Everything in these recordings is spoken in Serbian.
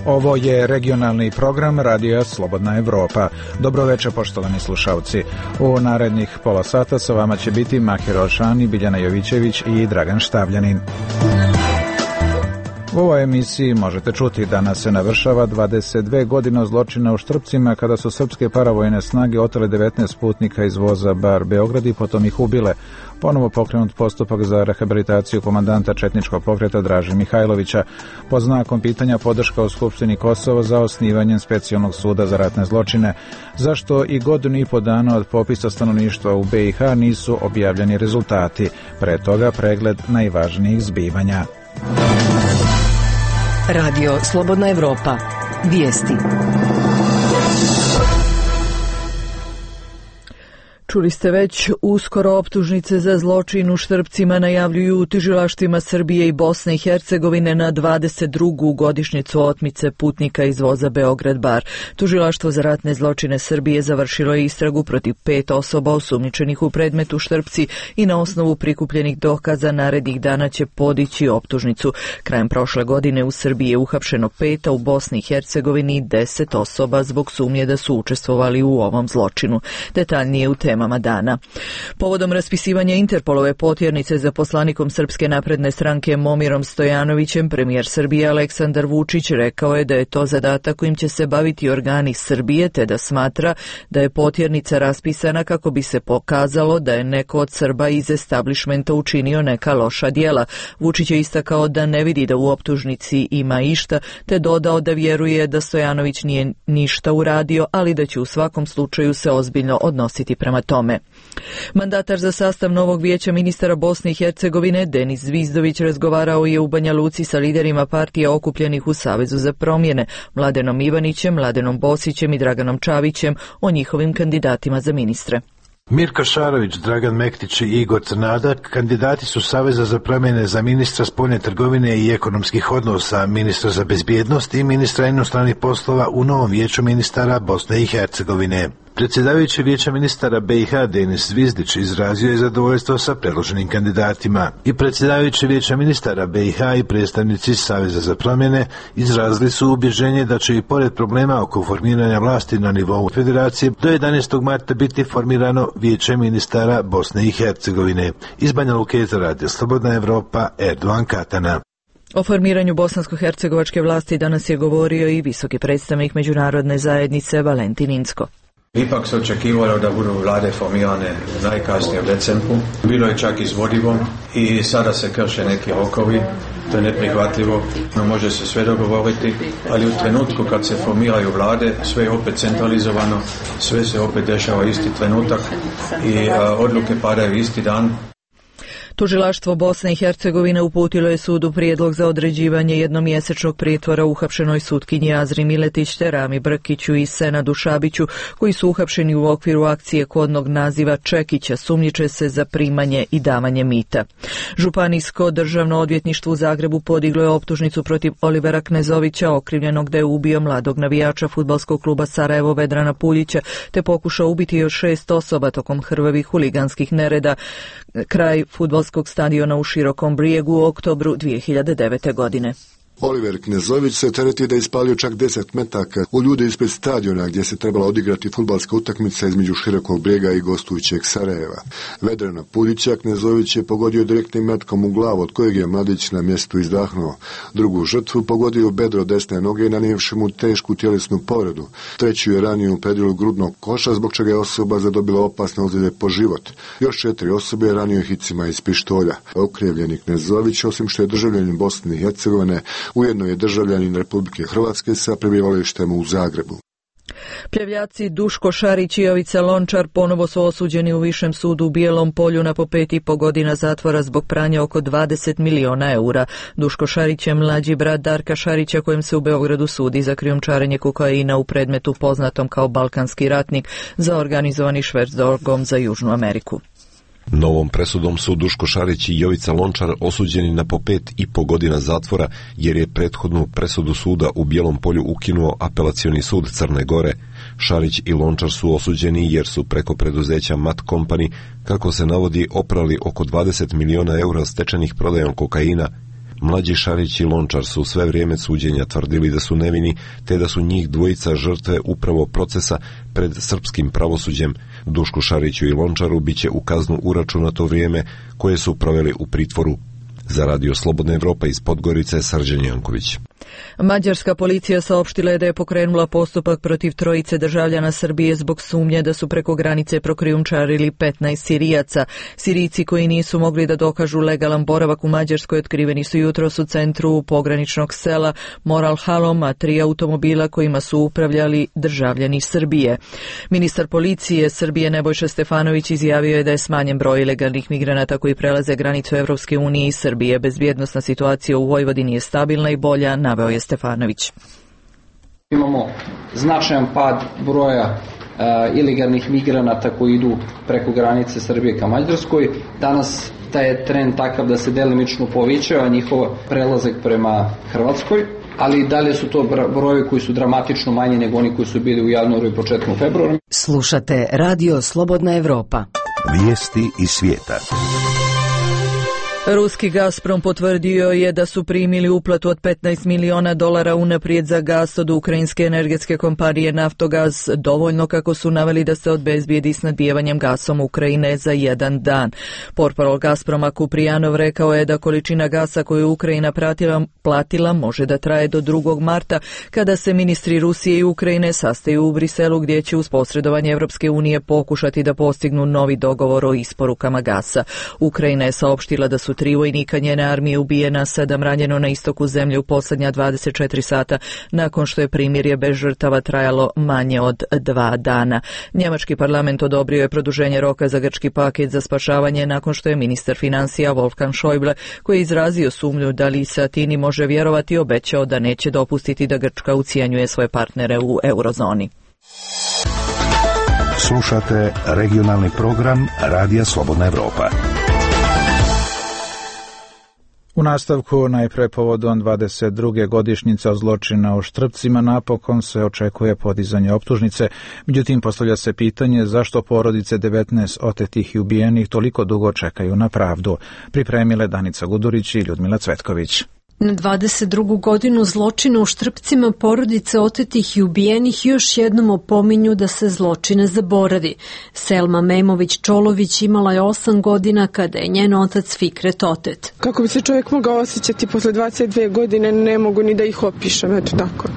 Ovo je regionalni program Radija Slobodna Evropa. Dobroveče, poštovani slušalci. U narednih pola sata sa vama će biti Mahir Olšani, Biljana Jovićević i Dragan Štavljanin. U ovoj emisiji možete čuti da nas se navršava 22 godine zločina u Štrpcima kada su srpske paravojne snage otele 19 putnika iz voza Bar Beograd i potom ih ubile. Ponovo pokrenut postupak za rehabilitaciju komandanta četničkog pokreta Draže Mihajlovića. Pod znakom pitanja podrška u Skupštini Kosova za osnivanjem specijalnog suda za ratne zločine. Zašto i godinu i po dana od popisa stanovništva u BiH nisu objavljeni rezultati? Pre toga pregled najvažnijih zbivanja. Radio Slobodna Evropa. Vijesti. Čuli ste već, uskoro optužnice za zločin u Štrpcima najavljuju u tužilaštvima Srbije i Bosne i Hercegovine na 22. godišnjicu otmice putnika iz voza Beograd Bar. Tužilaštvo za ratne zločine Srbije završilo je istragu protiv 5 osoba osumnjičenih u predmetu Štrpci i na osnovu prikupljenih dokaza narednih dana će podići optužnicu. Krajem prošle godine u Srbiji je uhapšeno 5, a u Bosni i Hercegovini 10 osoba zbog sumnje da su učestvovali u ovom zločinu. Detaljnije u temama dana. Povodom raspisivanja Interpolove potjernice za poslanikom Srpske napredne stranke Momirom Stojanovićem, premijer Srbije Aleksandar Vučić rekao je da je to zadatak kojim će se baviti organi Srbije, te da smatra da je potjernica raspisana kako bi se pokazalo da je neko od Srba iz establishmenta učinio neka loša djela. Vučić je istakao da ne vidi da u optužnici ima išta, te dodao da vjeruje da Stojanović nije ništa uradio, ali da će u svakom slučaju se ozbiljno odnositi prema tome. Mandatar za sastav novog vijeća ministara Bosne i Hercegovine Denis Zvizdović razgovarao je u Banja Luci sa liderima partija okupljenih u Savezu za promjene, Mladenom Ivanićem, Mladenom Bosićem i Draganom Čavićem o njihovim kandidatima za ministre. Mirko Šarović, Dragan Mektić i Igor Crnadak kandidati su Saveza za promjene za ministra spoljne trgovine i ekonomskih odnosa, ministra za bezbjednost i ministra inostranih poslova u novom vijeću ministara Bosne i Hercegovine. Predsjedavajući vijeća ministara BiH Denis Zvizdić izrazio je zadovoljstvo sa predloženim kandidatima i predsjedavajući vijeća ministara BiH i predstavnici Saveza za promjene izrazili su ubježenje da će i pored problema oko formiranja vlasti na nivou federacije do 11. marta biti formirano vijeće ministara Bosne i Hercegovine. Iz Banja Luke za Radio Slobodna Evropa, Erdogan Katana. O formiranju bosansko-hercegovačke vlasti danas je govorio i visoki predstavnik međunarodne zajednice Valentin Incko. Ipak se očekivalo da budu vlade formirane najkasnije u decembru. Bilo je čak izvodivo i sada se krše neki rokovi. To je neprihvatljivo, no može se sve dogovoriti, ali u trenutku kad se formiraju vlade, sve je opet centralizovano, sve se opet dešava isti trenutak i odluke padaju isti dan. Tužilaštvo Bosne i Hercegovine uputilo je sudu prijedlog za određivanje jednomjesečnog pritvora uhapšenoj sutkinji Azri Miletić te Rami Brkiću i Senadu Šabiću, koji su uhapšeni u okviru akcije kodnog naziva Čekića, sumnjiče se za primanje i davanje mita. Županijsko državno odvjetništvo u Zagrebu podiglo je optužnicu protiv Olivera Knezovića, okrivljenog da je ubio mladog navijača fudbalskog kluba Sarajevo Vedrana Puljića, te pokušao ubiti još 6 osoba tokom krvavih huliganskih nereda kraj fudbalskog stadiona u Širokom Brijegu u oktobru 2009. godine. Oliver Knezović se tereti da je ispalio čak 10 metaka u ljude ispred stadiona gdje se trebala odigrati fudbalska utakmica između Širokog Brijega i gostujućeg Sarajeva. Vedrana Puljića Knezović je pogodio direktnim metkom u glavu, od kojeg je mladić na mjestu izdahnuo. Drugu žrtvu pogodio u bedro desne noge, nanijevši mu tešku tjelesnu povredu. Treću je ranio u predilu grudnog koša, zbog čega je osoba zadobila opasne ozljede po život. Još 4 osobe je ranio hicima iz pištolja. Okrivljeni Knezović, osim što je državljanin Bosne i Hercegovine, ujedno je državljanin Republike Hrvatske sa prebivalištem u Zagrebu. Pljevljaci Duško Šarić i Jovica Lončar ponovo su osuđeni u Višem sudu u Bijelom Polju na po 5,5 godina zatvora zbog pranja oko 20 miliona eura. Duško Šarić je mlađi brat Darka Šarića, kojem se u Beogradu sudi za krijumčarenje kokaina u predmetu poznatom kao Balkanski ratnik za organizovani šverc drogom za Južnu Ameriku. Novom presudom su Duško Šarić i Jovica Lončar osuđeni na po 5,5 godina zatvora jer je prethodnu presudu suda u Bijelom Polju ukinuo Apelacioni sud Crne Gore. Šarić i Lončar su osuđeni jer su preko preduzeća Mat Company, kako se navodi, oprali oko 20 miliona eura stečenih prodajom kokaina. Mlađi Šarić i Lončar su sve vrijeme suđenja tvrdili da su nevini, te da su njih dvojica žrtve upravo procesa pred srpskim pravosuđem. Dušku Šariću i Lončaru biće u kaznu uračunato vrijeme koje su proveli u pritvoru. Za Radio Slobodna Evropa iz Podgorice, Srđan Janković. Mađarska policija saopštila je da je pokrenula postupak protiv trojice državljana Srbije zbog sumnje da su preko granice prokrijumčarili 15 Sirijaca. Sirijci koji nisu mogli da dokažu legalan boravak u Mađarskoj otkriveni su jutros u centru pograničnog sela Moral Halom, a 3 automobila kojima su upravljali državljani Srbije. Ministar policije Srbije Nebojša Stefanović izjavio je da je smanjen broj ilegalnih migranata koji prelaze granicu Evropske unije i Srbije. Bezbjednosna situacija u Vojvodini je stabilna i bolja, naveo je Stefanović. Imamo značajan pad broja ilegalnih migranata koji idu preko granice Srbije ka Mađarskoj. Danas taj je trend takav da se delimično povećava njihov prelazak prema Hrvatskoj, ali dalje su to brojevi koji su dramatično manji nego oni koji su bili u januaru i početkom februara. Slušate Radio Slobodna Evropa. Vijesti iz svijeta. Ruski Gazprom potvrdio je da su primili uplatu od $15 miliona unaprijed za gas od ukrajinske energetske kompanije Naftogaz, dovoljno kako su naveli da se obezbijedi snabdijevanjem gasom Ukrajine za 1 dan. Portparol Gazproma Kuprijanov rekao je da količina gasa koju Ukrajina platila može da traje do 2. marta, kada se ministri Rusije i Ukrajine sastaju u Briselu, gdje će uz posredovanje Evropske unije pokušati da postignu novi dogovor o isporukama gasa. Ukrajina je saopštila da su 3 vojnika njene armije ubijena, 7 ranjeno na istoku zemlje u posljednja 24 sata, nakon što je primirje bez žrtava trajalo manje od 2 dana. Njemački parlament odobrio je produženje roka za grčki paket za spašavanje nakon što je ministar financija Wolfgang Schäuble, koji je izrazio sumnju da li se Atini može vjerovati, obećao da neće dopustiti da Grčka ucijenjuje svoje partnere u eurozoni. Slušate regionalni program Radija Slobodna Evropa. U nastavku, najpre povodom 22. godišnjice zločina u Štrpcima, napokon se očekuje podizanje optužnice. Međutim, postavlja se pitanje zašto porodice 19 otetih i ubijenih toliko dugo čekaju na pravdu. Pripremile Danica Gudurić i Ljudmila Cvetković. Na 22. godinu zločina u Štrpcima porodice otetih i ubijenih još jednom opominju da se zločine zaboravi. Selma Memović-Čolović imala je 8 godina kada je njen otac Fikret otet. Kako bi se čovjek mogao osjećati posle 22 godine, ne mogu ni da ih opišem, eto tako.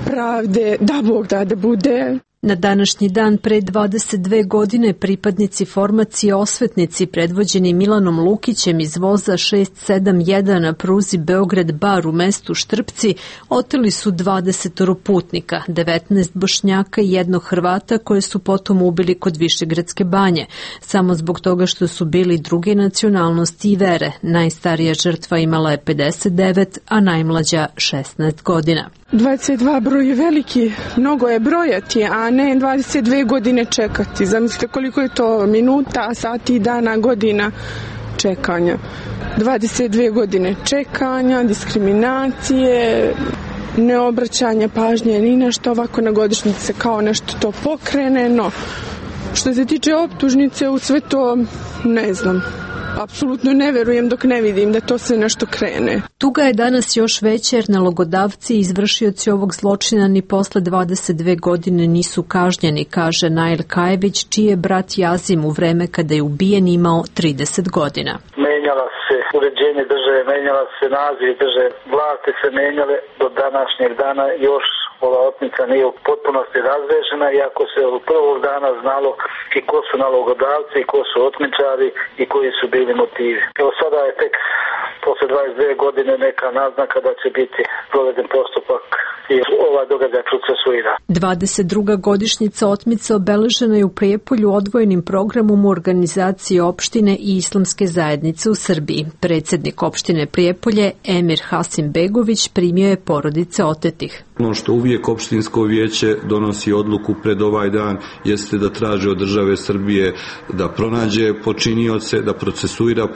Pravde, da Bog da bude. Na današnji dan pre 22 godine pripadnici formacije Osvetnici predvođeni Milanom Lukićem iz voza 671 na pruzi Beograd-Bar u mestu Štrpci oteli su 20 putnika, 19 Bošnjaka i 1 Hrvata koje su potom ubili kod Višegradske banje, samo zbog toga što su bili druge nacionalnosti i vere. Najstarija žrtva imala je 59, a najmlađa 16 godina. 22 broj je veliki, mnogo je brojati, a ne 22 godine čekati. Zamislite koliko je to minuta, sati, dana, godina čekanja. 22 godine čekanja, diskriminacije, neobraćanja pažnje ni na što, ovako na godišnjice kao nešto to pokrene, no što se tiče optužnice u sve to ne znam. Apsolutno ne verujem dok ne vidim da to sve nešto krene. Tuga je danas još veća jer nalogodavci i izvršioci ovog zločina ni posle 22 godine nisu kažnjeni, kaže Nail Kajević, čiji je brat Jazim u vreme kada je ubijen imao 30 godina. Menjala se uređenje države, menjala se naziv države, vlasti se menjale do današnjeg dana, još ova otmica nije u potpunosti razrešena, iako se od prvog dana znalo i ko su nalogodavci, i ko su otmičari i koji su bili motivi. Evo sada je tek posle 22 godine neka naznaka da će biti proveden postupak i ovaj događaj procesuira. 22. godišnjica otmice obeležena je u Prijepolju odvojenim programom u organizaciji opštine i islamske zajednice u Srbiji. Predsjednik opštine Prijepolje, Emir Hasim Begović, primio je porodice otetih. Ono što uvijek opštinsko vijeće donosi odluku pred ovaj dan jeste da traže od države Srbije da pronađe počinioce, da procesuira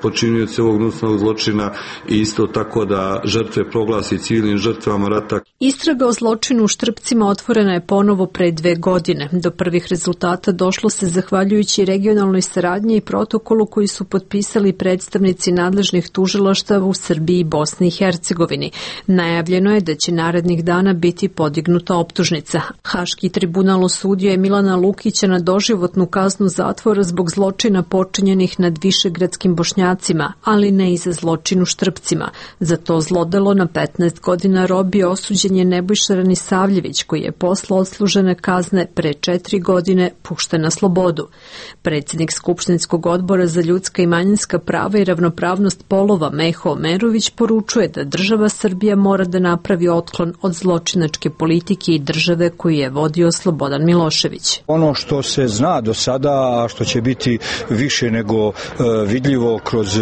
počinioce ovog gnusnog zločina i isto tako da žrtve proglasi civilnim žrtvama žrtvama rata. Istraga o zločinu u Štrpcima otvorena je ponovo pre 2 godine. Do prvih rezultata došlo se zahvaljujući regionalnoj saradnji i protokolu koji su potpisali predstavnici nadležnih tužilaštava u Srbiji i Bosni i Hercegovini. Najavljeno je da će narednih dana biti podignuta optužnica. Haški tribunal osudio je Milana Lukića na doživotnu kaznu zatvora zbog zločina počinjenih nad višegradskim Bošnjacima, ali ne i za zločin u Štrpcima. Za to zlodelo na 15 godina robije osuđen je Nebojša Ranisavljević, koji je posle odslužene kazne pre 4 godine pušten na slobodu. Predsjednik Skupštinskog odbora za ljudska i manjinska prava i ravnopravnost polova Meho Omerović poručuje da država Srbija mora da napravi otklon od zločinačke politike i države koju je vodio Slobodan Milošević. Ono što se zna do sada, a što će biti više nego vidljivo kroz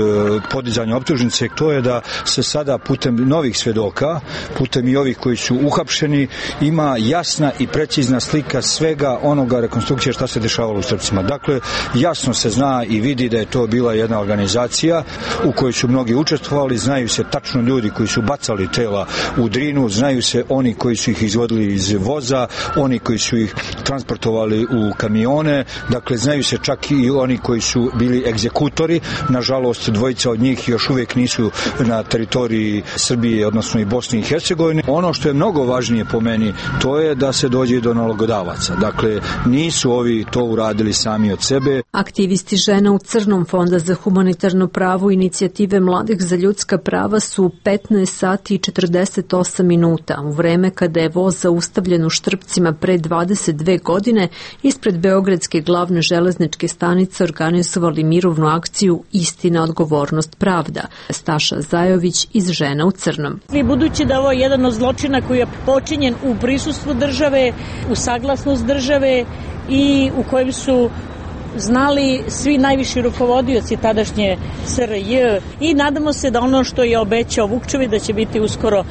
podizanje optužnice, to je da se sada putem novih svedoka, putem i ovih koji su uhapšeni, ima jasna i precizna slika svega onoga rekonstrukcije šta se dešavalo u Štrpcima. Dakle, jasno se zna i vidi da je to bila jedna organizacija u kojoj su mnogi učestvovali, znaju se tačno ljudi koji su bacali tela u Drinu, znaju se oni koji su ih izvodili iz voza, oni koji su ih transportovali u kamione, dakle znaju se čak i oni koji su bili egzekutori. Nažalost, dvojica od njih još uvijek nisu na teritoriji Srbije, odnosno i Bosne i Hercegovine. Ono što je mnogo važnije po meni, to je da se dođe do nalogodavaca. Dakle, nisu ovi to uradili sami od sebe. Aktivisti žena u Crnom Fonda za humanitarno pravo i inicijative mladih za ljudska prava su 15 sati i 48 minuta u vreme kada je voz zaustavljen u Štrpcima pre 22 godine ispred Beogradske glavne železničke stanice organizovali mirovnu akciju Istina, odgovornost, pravda. Staša Zajović iz Žena u Crnom. Budući da ovo je jedan od zločina koji je počinjen u prisustvu države, u saglasnost države i u kojem su znali svi najviši rukovodioci tadašnje SRJ i nadamo se da ono što je obećao Vukčević da će biti uskoro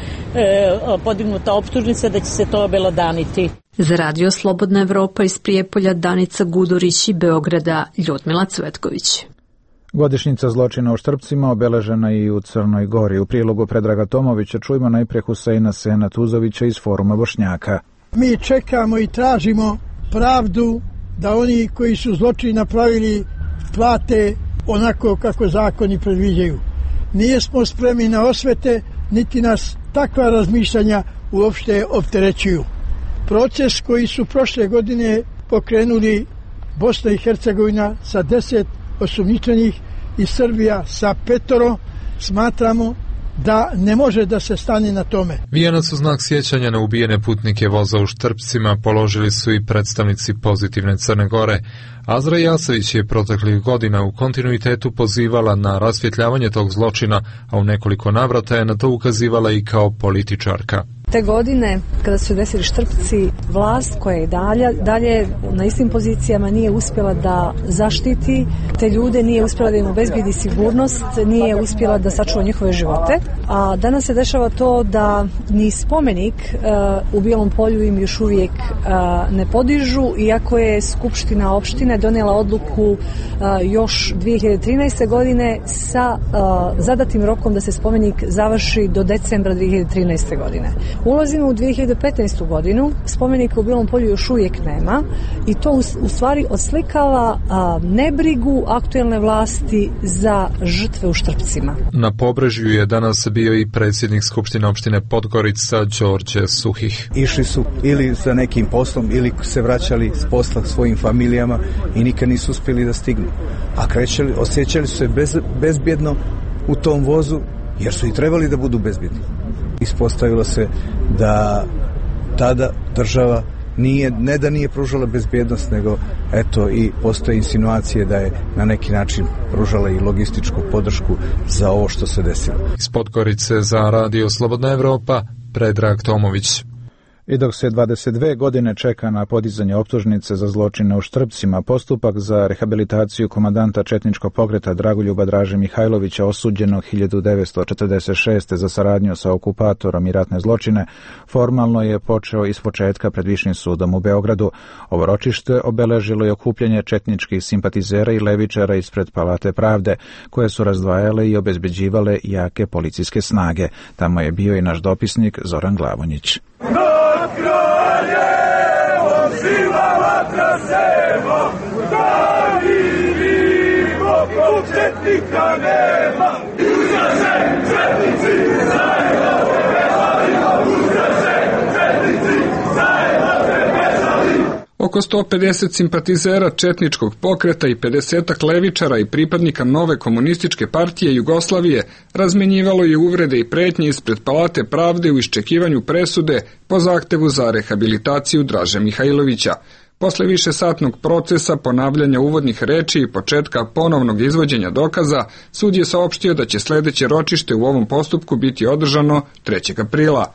podignuta optužnica, da će se to obelodaniti. Za Radio Slobodna Evropa iz Prijepolja Danica Gudurić i Beograda Ljudmila Cvetković. Godišnjica zločina u Štrpcima obeležena i u Crnoj Gori. U prilogu Predraga Tomovića čujemo najprije Huseina Sena Tuzovića iz Foruma Bošnjaka. Mi čekamo i tražimo pravdu da oni koji su zločin napravili plate onako kako zakoni predviđaju. Nijesmo spremni na osvete, niti nas takva razmišljanja uopšte opterećuju. Proces koji su prošle godine pokrenuli Bosna i Hercegovina sa 10 osumnjičenih i Srbija sa 5, smatramo da ne može da se stane na tome. Vijenac u znak sjećanja na ubijene putnike voza u Štrpcima položili su i predstavnici Pozitivne Crne Gore. Azra Jasević je proteklih godina u kontinuitetu pozivala na rasvjetljavanje tog zločina, a u nekoliko navrata je na to ukazivala i kao političarka. Te godine, kada su desili Štrpci, vlast koja je dalje na istim pozicijama nije uspjela da zaštiti te ljude, nije uspjela da im obezbedi sigurnost, nije uspjela da sačuva njihove živote. A danas se dešava to da ni spomenik u Bijelom Polju im još uvijek ne podižu, iako je Skupština opštine donijela odluku još 2013. godine sa zadatim rokom da se spomenik završi do decembra 2013. godine. Ulazimo u 2015. godinu, spomenika u Bijelom Polju još uvijek nema i to u stvari oslikava nebrigu aktuelne vlasti za žrtve u Štrpcima. Na Pobrežju je danas bio i predsjednik Skupštine opštine Podgorica Đorđe Suhih. Išli su ili za nekim poslom ili se vraćali s posla svojim familijama i nikad nisu uspjeli da stignu. A osjećali su se bezbjedno u tom vozu jer su i trebali da budu bezbjedni. Ispostavilo se da tada država ne da nije pružala bezbjednost, nego eto i postoje insinuacije da je na neki način pružala i logističku podršku za ovo što se desilo. Iz Podgorice za Radio Slobodna Evropa, Predrag Tomović. I dok se 22 godine čeka na podizanje optužnice za zločine u Štrpcima, postupak za rehabilitaciju komandanta četničkog pokreta Dragoljuba Draže Mihajlovića, osuđenog 1946. za saradnju sa okupatorom i ratne zločine, formalno je počeo ispočetka pred Višim sudom u Beogradu. Ovo ročište obeležilo je okupljanje četničkih simpatizera i levičara ispred Palate pravde, koje su razdvajale i obezbeđivale jake policijske snage. Tamo je bio i naš dopisnik Zoran Glavonjić. Nad kraljevom živa vatra sema, da vidimo ko četnika nema. Ustaše, četnici, zajedno se veselimo, ustaše, četnici, zajedno se veselimo. Oko 150 simpatizera četničkog pokreta i 50 levičara i pripadnika nove komunističke partije Jugoslavije razmenjivalo je uvrede i pretnje ispred Palate pravde u iščekivanju presude po zahtevu za rehabilitaciju Draže Mihajlovića. Posle višesatnog procesa, ponavljanja uvodnih reči i početka ponovnog izvođenja dokaza, sud je saopštio da će sledeće ročište u ovom postupku biti održano 3. aprila.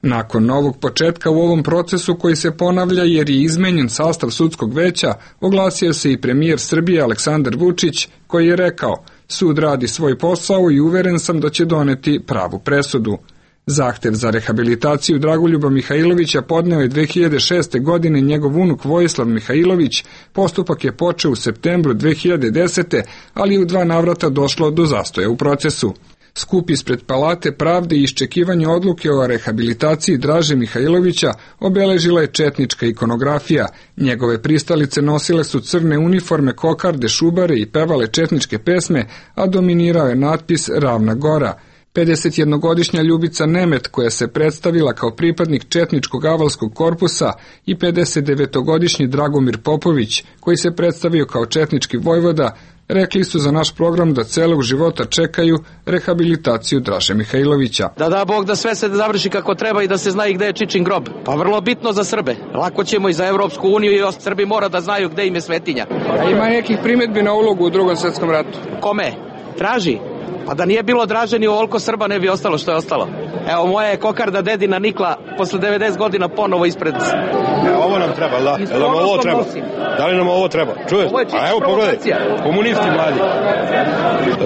Nakon novog početka u ovom procesu koji se ponavlja jer je izmenjen sastav sudskog veća, oglasio se i premijer Srbije Aleksandar Vučić, koji je rekao: sud radi svoj posao i uveren sam da će doneti pravu presudu. Zahtev za rehabilitaciju Dragoljuba Mihajlovića podneo je 2006. godine njegov unuk Vojislav Mihajlović. Postupak je počeo u septembru 2010. ali u 2 navrata došlo do zastoja u procesu. Skup ispred Palate pravde i iščekivanje odluke o rehabilitaciji Draže Mihajlovića obeležila je četnička ikonografija. Njegove pristalice nosile su crne uniforme, kokarde, šubare i pevale četničke pesme, a dominirao je natpis Ravna Gora. 51-godišnja Ljubica Nemet, koja se predstavila kao pripadnik četničkog avalskog korpusa, i 59-godišnji Dragomir Popović, koji se predstavio kao četnički vojvoda, rekli su za naš program da celog života čekaju rehabilitaciju Draže Mihajlovića. Da Bog da sve se završi kako treba i da se zna i gde je Čičin grob. Pa vrlo bitno za Srbe. Lako ćemo i za Evropsku uniju i Srbi mora da znaju gde im je svetinja. A ima nekih primedbi na ulogu u Drugom svetskom ratu? Kome? Draži? Pa da nije bilo Draže ni ovoliko Srba ne bi ostalo što je ostalo. Evo moja je kokarda dedina nikla posle 90 godina ponovo ispred. Ovo nam treba, da. Nam ovo treba. Da li nam ovo treba? Čuješ? A evo pogledaj, komunisti mladi.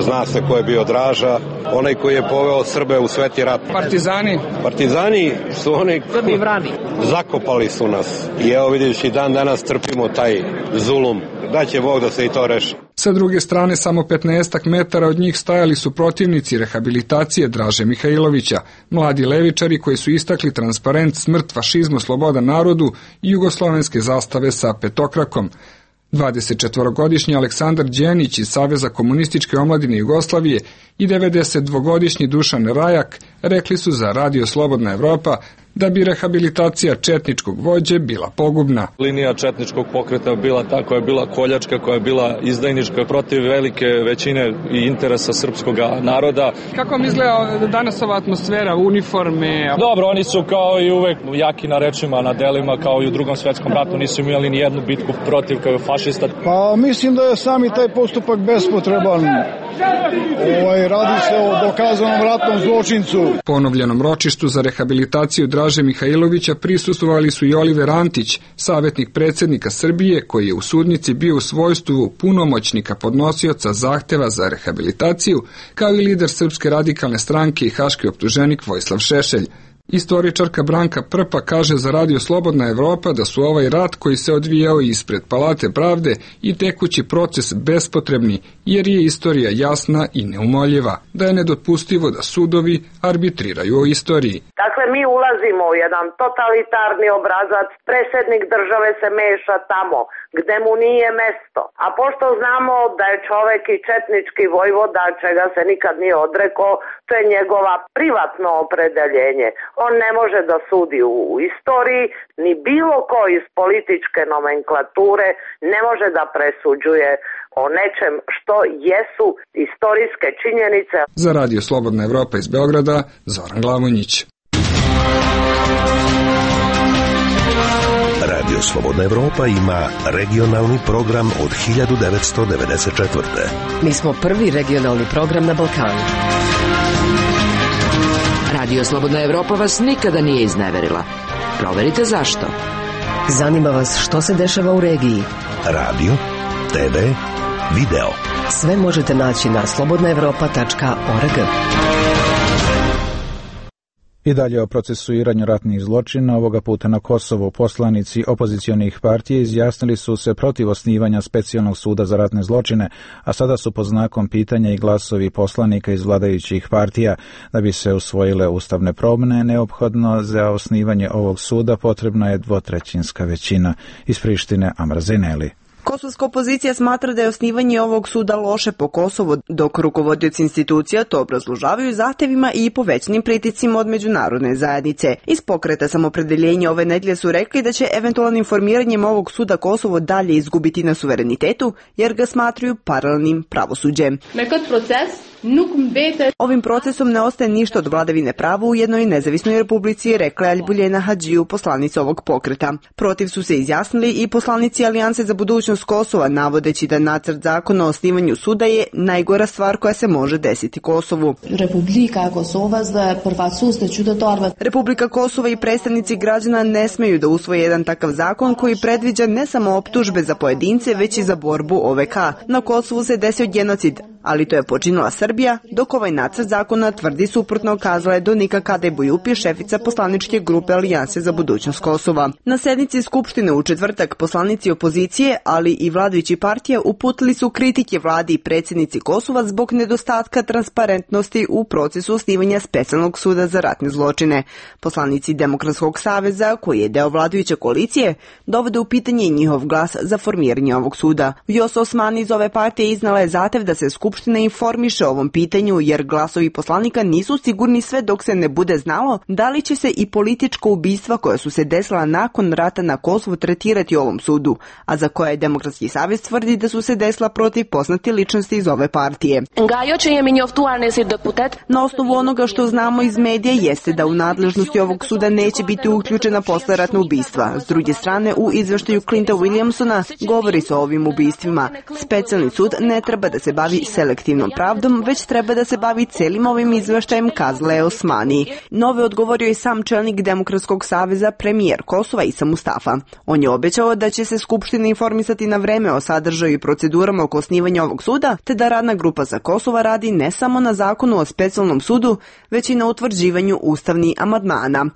Zna se ko je bio Draža, onaj koji je poveo Srbe u sveti rat. Partizani? Partizani su oni koji zakopali su nas. I evo vidiš i dan danas trpimo taj zulum. Daće Bog da se i to reši. Sa druge strane, samo 15 metara od njih stajali su protivnici rehabilitacije Draže Mihajlovića, mladi levičari koji su istakli transparent Smrt fašizmu, sloboda narodu i jugoslovenske zastave sa petokrakom. 24-godišnji Aleksandar Đenić iz Saveza komunističke omladine Jugoslavije i 92-godišnji Dušan Rajak rekli su za Radio Slobodna Evropa da bi rehabilitacija četničkog vođe bila pogubna. Linija četničkog pokreta bila ta koja je bila koljačka, koja je bila izdajnička protiv velike većine i interesa srpskog naroda. Kako vam izgleda danas ova atmosfera, uniforme? Dobro, oni su kao i uvek jaki na rečima, na delima, kao i u Drugom svetskom ratu, nisu imali ni jednu bitku protiv kao fašista. Pa mislim da je sami taj postupak bespotreban. Radi se o dokazanom ratnom zločincu. Ponovljenom ročištu za rehabilitaciju Draže Mihajlovića prisustvovali su i Oliver Antić, savjetnik predsjednika Srbije, koji je u sudnici bio u svojstvu punomoćnika podnosioca zahteva za rehabilitaciju, kao i lider Srpske radikalne stranke i haški optuženik Vojislav Šešelj. Istoričarka Branka Prpa kaže za Radio Slobodna Evropa da su ovaj rat koji se odvijao ispred Palate pravde i tekući proces bespotrebni, jer je istorija jasna i neumoljiva, da je nedopustivo da sudovi arbitriraju o istoriji. Dakle, mi ulazimo u jedan totalitarni obrazac, predsjednik države se meša tamo gde mu nije mesto. A pošto znamo da je čovek i četnički vojvoda, čega se nikad nije odrekao, to je njegova privatno opredeljenje. On ne može da sudi u istoriji, ni bilo ko iz političke nomenklature ne može da presuđuje o nečem što jesu istorijske činjenice. Za Radio Slobodna Evropa iz Beograda, Zoran Glavonjić. Radio Slobodna Evropa ima regionalni program od 1994. Mi smo prvi regionalni program na Balkanu. Radio Slobodna Evropa vas nikada nije izneverila. Proverite zašto. Zanima vas što se dešava u regiji. Radio, TV, video. Sve možete naći na slobodnaevropa.org. I dalje o procesuiranju ratnih zločina, ovoga puta na Kosovu. Poslanici opozicionih partija izjasnili su se protiv osnivanja specijalnog suda za ratne zločine, a sada su pod znakom pitanja i glasovi poslanika iz vladajućih partija. Da bi se usvojile ustavne promjene, neophodno za osnivanje ovog suda potrebna je 2/3 većina. Iz Prištine, Amra Zeneli. Kosovska opozicija smatra da je osnivanje ovog suda loše po Kosovu, dok rukovodioci institucija to obrazložavaju zahtevima i povećanim pritiscima od međunarodne zajednice. Iz pokreta Samopredeljenja ove nedelje su rekli da će eventualnim formiranjem ovog suda Kosovo dalje izgubiti na suverenitetu, jer ga smatraju paralelnim pravosuđem. Ovim procesom ne ostaje ništa od vladavine prava u jednoj nezavisnoj republici, rekla je Albuljena Hadžiju, poslanica ovog pokreta. Protiv su se izjasnili i poslanici Alijanse za budućnost Kosova, navodeći da nacrt zakona o osnivanju suda je najgora stvar koja se može desiti Kosovu. Republika Kosova i predstavnici građana ne smeju da usvoje jedan takav zakon koji predviđa ne samo optužbe za pojedince, već i za borbu OVK. Na Kosovu se desio genocid, ali to je počinila Srbija, dok ovaj nacrt zakona tvrdi suprotno, kazala je Donika Kadej-Bujupi, šefica poslaničke grupe Alijanse za budućnost Kosova. Na sednici Skupštine u četvrtak poslanici opozicije, ali i vladajući partija uputili su kritike vladi i predsjednici Kosova zbog nedostatka transparentnosti u procesu osnivanja specijalnog suda za ratne zločine. Poslanici Demokratskog saveza, koji je deo vladajuće koalicije, dovode u pitanje njihov glas za formiranje ovog suda. Vjosa Osmani iz ove partije iznala je zahtev da se Skupština informiše o ovom pitanju, jer glasovi poslanika nisu sigurni sve dok se ne bude znalo da li će se i politička ubistva koja su se desila nakon rata na Kosovu tretirati u ovom sudu, a za koje Demokratski savez tvrdi da su se desila protiv poznati ličnosti iz ove partije. Na osnovu onoga što znamo iz medija jeste da u nadležnosti ovog suda neće biti uključena posleratna ubistva. S druge strane, u izveštaju Clinta Williamsona govori se o ovim ubistvima. Specijalni sud ne treba da se bavi selektivnom pravdom, već treba da se bavi celim ovim izveštajem, kazala je Osmani. Nove odgovorio je sam čelnik Demokratskog saveza, premijer Kosova Isa Mustafa. On je obećao da će se Skupština informisati na vreme o sadržaju i procedurama oko osnivanja ovog suda, te da radna grupa za Kosova radi ne samo na zakonu o specijalnom sudu, već i na utvrđivanju ustavnih amandmana.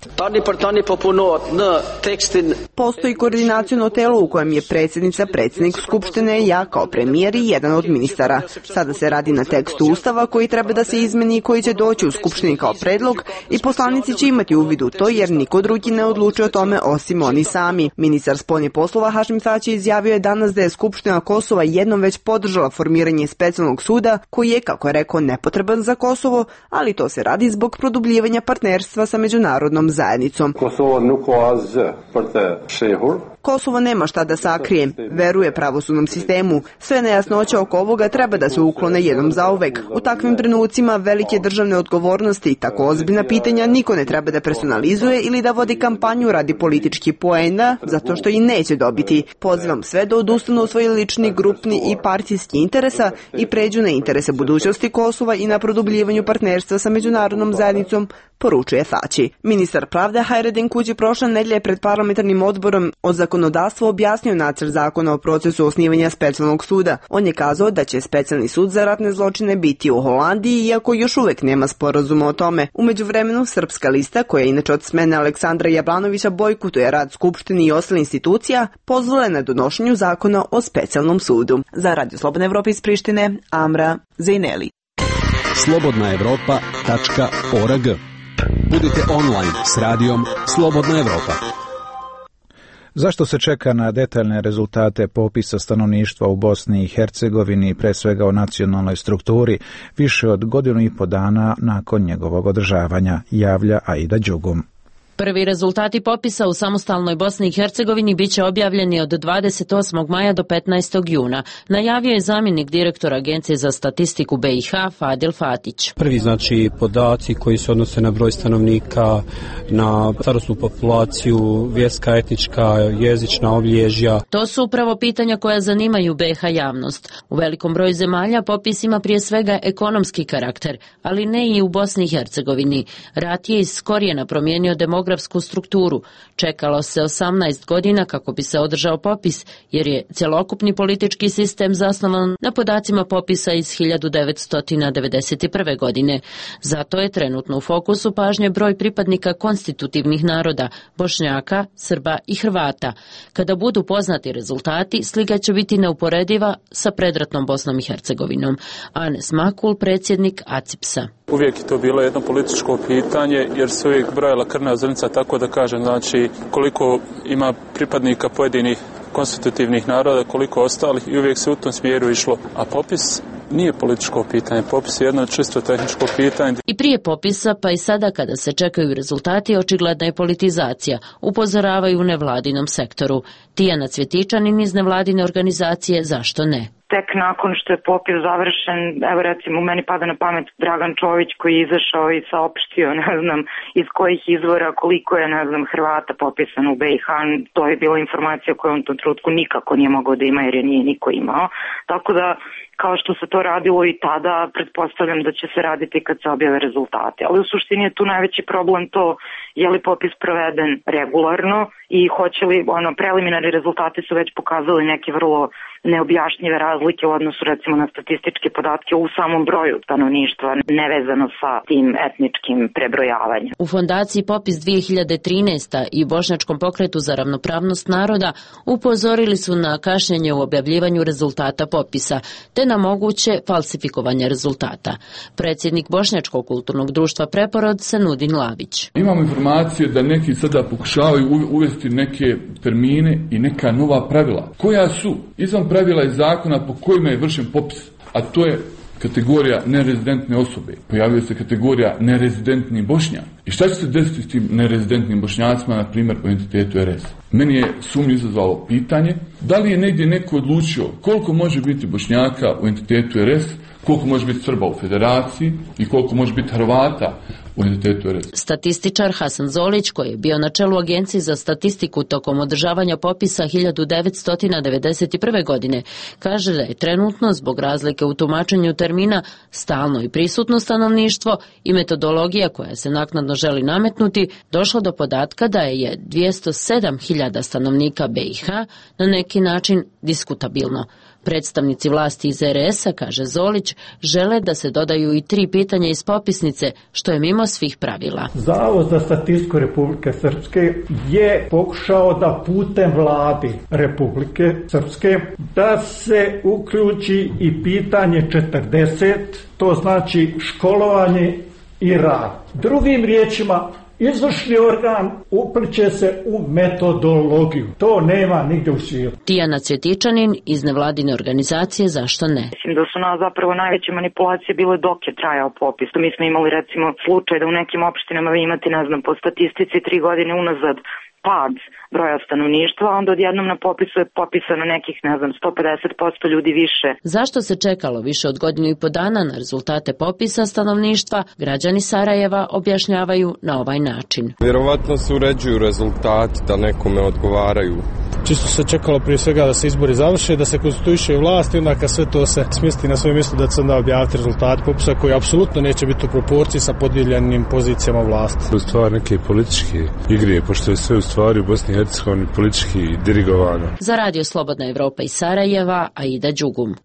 Postoji koordinaciono telo u kojem je predsjednica, predsjednik Skupštine, ja kao premijer i jedan od ministara. Sada se radi na tekstu Ustava koji treba da se izmeni i koji će doći u Skupštini kao predlog i poslanici će imati uvid u to, jer niko drugi ne odlučuje o tome osim oni sami. Ministar spoljnih poslova Hašim Tači izjavio je danas da je Skupština Kosova jednom već podržala formiranje specijalnog suda koji je, kako je rekao, nepotreban za Kosovo, ali to se radi zbog produbljivanja partnerstva sa međunarodnom zajednicom. Kosovo nema šta da sakrije, veruje pravosudnom sistemu. Sve nejasnoće oko ovoga treba da se uklone jednom zauvek. U takvim trenucima velike državne odgovornosti i tako ozbiljna pitanja niko ne treba da personalizuje ili da vodi kampanju radi politički poena, zato što i neće dobiti. Pozivam sve da odustanu od svojih lični, grupni i partijski interesa i pređu na interese budućnosti Kosova i na produbljivanju partnerstva sa međunarodnom zajednicom, poručuje Tači. Ministar pravde Hajredin Kuđi prošle nedelje pred parlamentarnim odborom o zakonodavstvu objasnio nacrt zakona o procesu osnivanja specijalnog suda. On je kazao da će specijalni sud za ratne zločine biti u Holandiji, iako još uvek nema sporazuma o tome. U međuvremenu, Srpska lista, koja inače od smene Aleksandra Jablanovića bojkotuje rad Skupštine i ostalih institucija, pozvala je na donošenju zakona o specijalnom sudu. Za Radio Slobodna Evropa iz Prištine, Amra Zejneli. slobodnaevropa.org. Budite online s radijom Slobodna Evropa. Zašto se čeka na detaljne rezultate popisa stanovništva u Bosni i Hercegovini, pre svega o nacionalnoj strukturi, više od 1,5 dana nakon njegovog održavanja, javlja Aida Đugum. Prvi rezultati popisa u samostalnoj Bosni i Hercegovini biće objavljeni od 28. maja do 15. juna, najavio je zamjenik direktora Agencije za statistiku BiH Fadil Fatić. Prvi podaci koji se odnose na broj stanovnika, na starosnu populaciju, vjerska, etnička, jezična obilježja. To su upravo pitanja koja zanimaju BiH javnost. U velikom broju zemalja popis ima prije svega ekonomski karakter, ali ne i u Bosni i Hercegovini. Rat je iz korijena promijenio demografiju demografsku strukturu. Čekalo se 18 godina kako bi se održao popis, jer je cjelokupni politički sistem zasnovan na podacima popisa iz 1991. godine. Zato je trenutno u fokusu pažnje broj pripadnika konstitutivnih naroda, Bošnjaka, Srba i Hrvata. Kada budu poznati rezultati, slika će biti neuporediva sa predratnom Bosnom i Hercegovinom. Anes Makul, predsjednik ACIPS-a. Uvijek je to bilo jedno političko pitanje, jer se uvijek brojala krvna zrnca, tako da kažem, znači koliko ima pripadnika pojedinih konstitutivnih naroda, koliko ostalih, i uvijek se u tom smjeru išlo. A popis nije političko pitanje, popis je jedno čisto tehničko pitanje. I prije popisa, pa i sada kada se čekaju rezultati, očigledna je politizacija, upozoravaju u nevladinom sektoru. Tijana Cvjetičanin iz nevladine organizacije Zašto ne? Tek nakon što je popis završen, evo recimo meni pada na pamet Dragan Čović koji je izašao i saopštio, ne znam iz kojih izvora koliko je, ne znam, Hrvata popisano u BiH. To je bila informacija koju on u tom trenutku nikako nije mogao da ima jer je nije niko imao. Tako da, kao što se to radilo i tada, pretpostavljam da će se raditi kad se objave rezultate. Ali u suštini je tu najveći problem to je li popis proveden regularno i hoće li, preliminarni rezultati su već pokazali neke vrlo neobjašnjive razlike u odnosu recimo na statističke podatke u samom broju stanovništva, nevezano sa tim etničkim prebrojavanjem. U fondaciji Popis 2013. i Bošnjačkom pokretu za ravnopravnost naroda upozorili su na kašnjenje u objavljivanju rezultata popisa, te na moguće falsifikovanje rezultata. Predsjednik Bošnjačkog kulturnog društva Preporod Senudin Lavić. Imamo informacije da neki sada pokušavaju uvesti neke termine i neka nova pravila. Koja su? Izvan pravila iz zakona po kojima je vršen popis, a to je kategorija nerezidentne osobe. Pojavio se kategorija nerezidentni Bošnjak. I šta će se desiti s tim nerezidentnim Bošnjacima, na primjer, u entitetu RS? Meni je sumnju izazvalo pitanje da li je negdje neko odlučio koliko može biti Bošnjaka u entitetu RS, koliko može biti Srba u federaciji i koliko može biti Hrvata u entitetu RS. Statističar Hasan Zolić, koji je bio na čelu Agencije za statistiku tokom održavanja popisa 1991. godine, kaže da je trenutno, zbog razlike u tumačenju termina stalno i prisutno stanovništvo i metodologija koja se naknadno želi nametnuti, došlo do podatka da je 207.000 stanovnika BiH na neki način diskutabilno. Predstavnici vlasti iz RS-a, kaže Zolić, žele da se dodaju i 3 pitanja iz popisnice, što je mimo svih pravila. Zavod za statistiku Republike Srpske je pokušao da putem vladi Republike Srpske da se uključi i pitanje 40, to znači školovanje i rad. Drugim riječima, izvršni organ upliće se u metodologiju. To nema nigdje u svijetu. Tijana Cvjetičanin iz nevladine organizacije Zašto ne? Mislim da su nas zapravo najveće manipulacije bile dok je trajao popis. Mi smo imali recimo slučaj da u nekim opštinama vi imate, ne znam, po statistici 3 godine unazad pad broja stanovništva, a onda odjednom na popisu je popisano nekih, ne znam, 150% ljudi više. Zašto se čekalo više od godinu i po dana na rezultate popisa stanovništva, građani Sarajeva objašnjavaju na ovaj način. Vjerovatno se uređuju rezultati da nekome odgovaraju. Čisto se čekalo prije svega da se izbori završe, da se konstituiše vlast i onda kad sve to se smjesti na svoje mjesto da će se onda objaviti rezultat popisa koji apsolutno neće biti u proporciji sa podijeljenim pozicijama vlasti. U stvari neke političke igre, pošto je sve u stvari u Bosni i Hercegovini politički dirigovano. Za Radio Slobodna Evropa iz Sarajeva, Aida Đugum.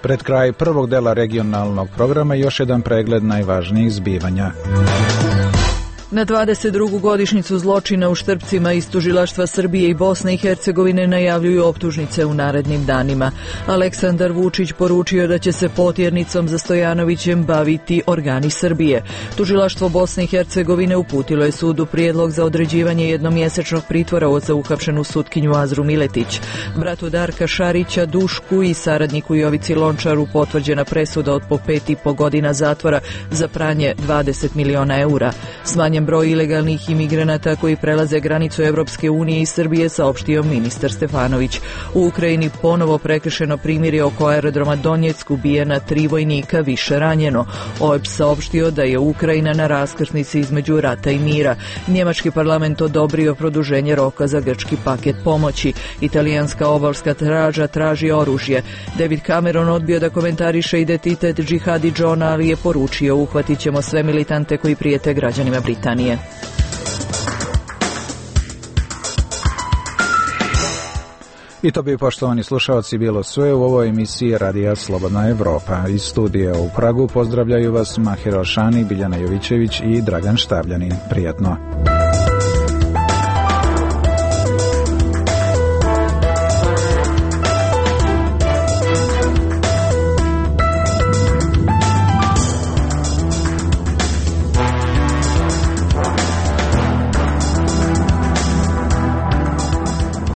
Pred kraj prvog dela regionalnog programa još jedan pregled najvažnijih zbivanja. Na 22. godišnjicu zločina u Štrpcima iz tužilaštva Srbije i Bosne i Hercegovine najavljuju optužnice u narednim danima. Aleksandar Vučić poručio da će se potjernicom za Stojanovićem baviti organi Srbije. Tužilaštvo Bosne i Hercegovine uputilo je sudu prijedlog za određivanje jednomjesečnog pritvora za uhapšenu sutkinju Azru Miletić. Bratu Darka Šarića, Dušku i saradniku Jovici Lončaru potvrđena presuda od po 5,5 godina zatvora za pranje 20 miliona eura. Smanjen smanjen broj ilegalnih imigranata koji prelaze granicu Evropske unije i Srbije, saopštio ministar Stefanović. U Ukrajini ponovo prekršeno primirje oko aerodroma Donjeck, ubijena 3 vojnika, više ranjeno. OEBS saopštio da je Ukrajina na raskrsnici između rata i mira. Njemački parlament odobrio produženje roka za grčki paket pomoći. Italijanska obalska straža traži oružje. David Cameron odbio da komentariše identitet Džihadi Johna, ali je poručio: uhvatit ćemo sve militante koji prijete građanima Britanije. I to bi, poštovani slušalci, bilo sve u ovoj emisiji Radija Slobodna Evropa. Iz studija u Pragu pozdravljaju vas Mahir Alšani, Biljana Jovićević i Dragan Štavljanin. Prijetno.